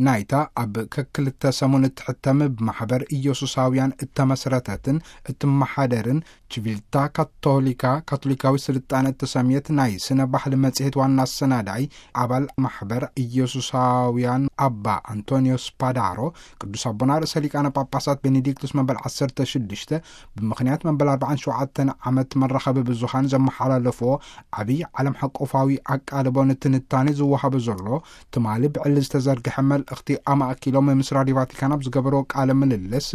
ናይታ ኣብ ከክልተ ሰሙን እትሕተም ብማሕበር ኢየሱሳውያን እተመስረተትን እትመሓደርን ችቪልታ ካቶሊካ፣ ካቶሊካዊ ስልጣነ እተሰምየት ናይ ስነ ባህሊ መጽሔት ዋና ኣሰናዳኢ ኣባል ማሕበር ኢየሱሳውያን ኣባ ኣንቶኒዮ ስፓዳሮ፣ ቅዱስ ኣቦና ርእሰ ሊቃነ ጳጳሳት ቤኔዲክቱስ መበል ዓሰርተ ሽዱሽተ ብምኽንያት መበል ኣርባዓን ሸውዓተን ዓመት መራኸቢ ብዙሃን ዘመሓላለፍዎ ዓብዪ ዓለም ሓቆፋዊ ኣቃልቦ ንትንታኔ ዝወሃቦ ዘሎ ትማሊ ብዕሊ ዝተዘርግሐ መልእኽቲ ኣማእኪሎም ምስ ራዲዮ ቫቲካን ኣብ ዝገበርዎ ቃለ ምልልስ፣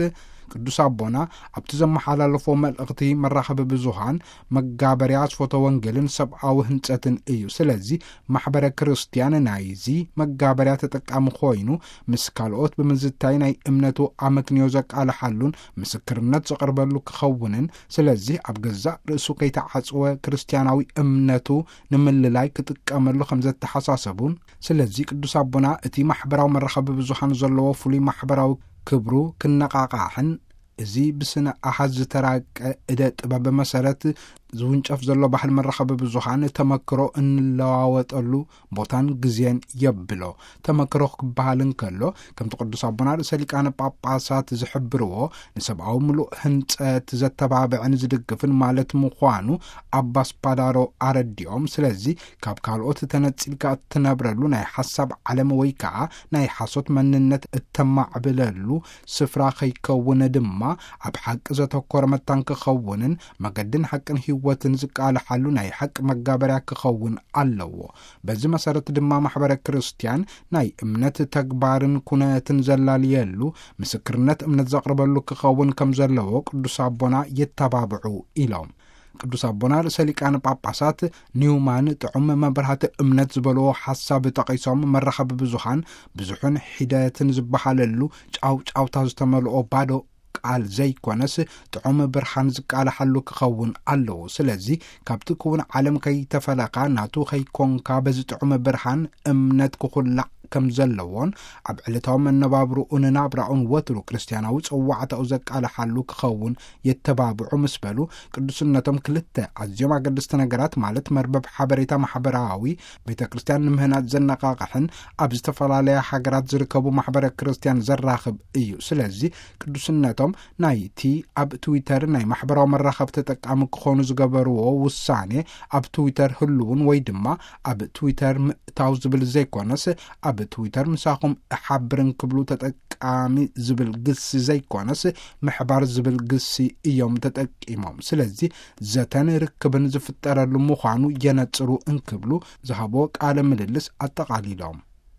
ቅዱስ ኣቦና ኣብቲ ዘመሓላለፎ መልእኽቲ መራኸቢ ብዙሃን መጋበርያ ኣስፎተ ወንጌልን ሰብኣዊ ህንጸትን እዩ። ስለዚ ማሕበረ ክርስቲያን ናይዚ መጋበርያ ተጠቃሚ ኮይኑ ምስ ካልኦት ብምዝታይ ናይ እምነቱ ኣመክንዮ ዘቃልሓሉን ምስክርነት ዘቕርበሉ ክኸውንን፣ ስለዚ ኣብ ገዛእ ርእሱ ከይተዓጽወ ክርስቲያናዊ እምነቱ ንምልላይ ክጥቀመሉ ከም ዘተሓሳሰቡን፣ ስለዚ ቅዱስ ኣቦና እቲ ማሕበራዊ መራኸቢ ብዙሃን ዘለዎ ፍሉይ ማሕበራዊ ክብሩ ክነቓቓሕን፣ እዚ ብስነ ኣሃዝ ዝተራቀ እደ ጥበብ መሰረት ዝውንጨፍ ዘሎ ባህል መራኸቢ ብዙሃን ተመክሮ እንለዋወጠሉ ቦታን ግዜን የብሎ። ተመክሮ ክበሃል እንከሎ፣ ከምቲ ቅዱስ ኣቦና ርእሰ ሊቃነ ጳጳሳት ዝሕብርዎ፣ ንሰብኣዊ ምሉእ ህንጸት ዘተባብዕን ዝድግፍን ማለት ምዃኑ ኣባ ስፓዳሮ ኣረዲኦም። ስለዚ ካብ ካልኦት ተነጺልካ እትነብረሉ ናይ ሓሳብ ዓለም ወይ ከኣ ናይ ሓሶት መንነት እተማዕብለሉ ስፍራ ከይከውን ድማ፣ ኣብ ሓቂ ዘተኮረ መታን ክኸውንን መገድን ሓቅን ህይወትን ዝቃልሓሉ ናይ ሓቂ መጋበርያ ክኸውን ኣለዎ። በዚ መሰረት ድማ ማሕበረ ክርስቲያን ናይ እምነት ተግባርን ኩነትን ዘላልየሉ ምስክርነት እምነት ዘቕርበሉ ክኸውን ከም ዘለዎ ቅዱስ ኣቦና የተባብዑ ኢሎም። ቅዱስ ኣቦና ርእሰ ሊቃነ ጳጳሳት ኒውማን ጥዑም መብራህቲ እምነት ዝበልዎ ሓሳብ ጠቒሶም፣ መራኸቢ ብዙሃን ብዙሑን ሒደትን ዝበሃለሉ ጫውጫውታ ዝተመልኦ ባዶ ቃል ዘይኮነስ ጥዑም ብርሃን ዝቃልሓሉ ክኸውን ኣለዎ። ስለዚ ካብቲ ክውን ዓለም ከይተፈለኻ ናቱ ከይኮንካ በዚ ጥዑም ብርሃን እምነት ክኹላዕ ከም ዘለዎን ኣብ ዕለታዊ መነባብርኡን ናብራኡን ወትሩ ክርስቲያናዊ ጸዋዕታኡ ዘቃልሓሉ ክኸውን የተባብዑ ምስ በሉ፣ ቅዱስነቶም ክልተ ኣዝዮም ኣገደስቲ ነገራት ማለት መርበብ ሓበሬታ ማሕበራዊ ቤተ ክርስቲያን ንምህናጽ ዘነቓቕሕን ኣብ ዝተፈላለያ ሃገራት ዝርከቡ ማሕበረ ክርስቲያን ዘራኽብ እዩ። ስለዚ ቅዱስነቶም ናይቲ ኣብ ትዊተር ናይ ማሕበራዊ መራኸብ ተጠቃሚ ክኾኑ ዝገበርዎ ውሳኔ ኣብ ትዊተር ህልውን ወይ ድማ ኣብ ትዊተር ምእታው ዝብል ዘይኮነስ፣ ኣብ ትዊተር ምሳኹም እሓብርን ክብሉ ተጠቃሚ ዝብል ግሲ ዘይኮነስ ምሕባር ዝብል ግሲ እዮም ተጠቂሞም። ስለዚ ዘተን ርክብን ዝፍጠረሉ ምዃኑ የነጽሩ እንክብሉ ዝሃብዎ ቃለ ምልልስ ኣጠቓሊሎም።